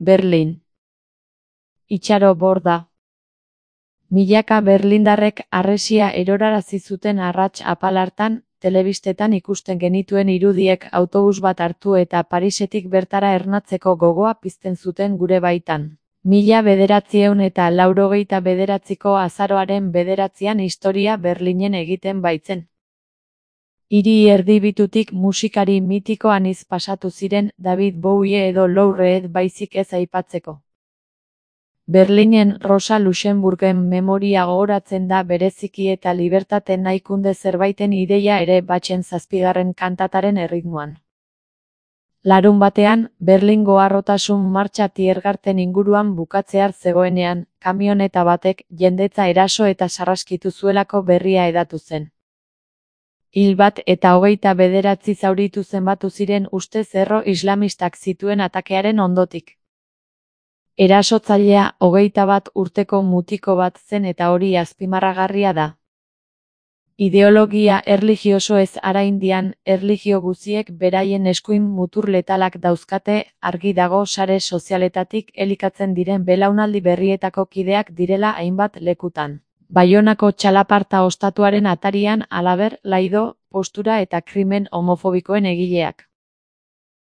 Berlin. Itxaro Borda. Milaka berlindarrek harresia erorarazi zuten arrats apal hartan, telebistetan ikusten genituen irudiek autobus bat hartu eta Parisetik bertara ernatzeko gogoa pizten zuten gure baitan. 1989ko azaroaren 9an historia Berlinen egiten baitzen. Hiri erdibitutik musikari mitiko anitz pasatu ziren David Bowie edo Lou Reed baizik ez aipatzeko. Berlinen Rosa Luxemburgen memoria gogoratzen da bereziki eta libertate nahikunde zerbaiten ideia ere batzen 7. kantataren erritmoan. Larunbatean, Berlingo harrotasun martxa Tiergarten inguruan bukatzear zegoenean, kamioneta batek jendetza eraso eta sarraskitu zuelako berria hedatu zen. Hil bat eta 29 zauritu zenbatu ziren ustez erro islamistak zituen atakearen ondotik. Erasotzailea 21 urteko mutiko bat zen eta hori azpimarragarria da. Ideologia erlijioso ez Araindian, erlijio guziek beraien eskuin mutur letalak dauzkate, argi dago sare sozialetatik elikatzen diren belaunaldi berrietako kideak direla hainbat lekutan. Baionako txalaparta ostatuaren atarian halaber, laido, postura eta krimen homofobikoen egileak.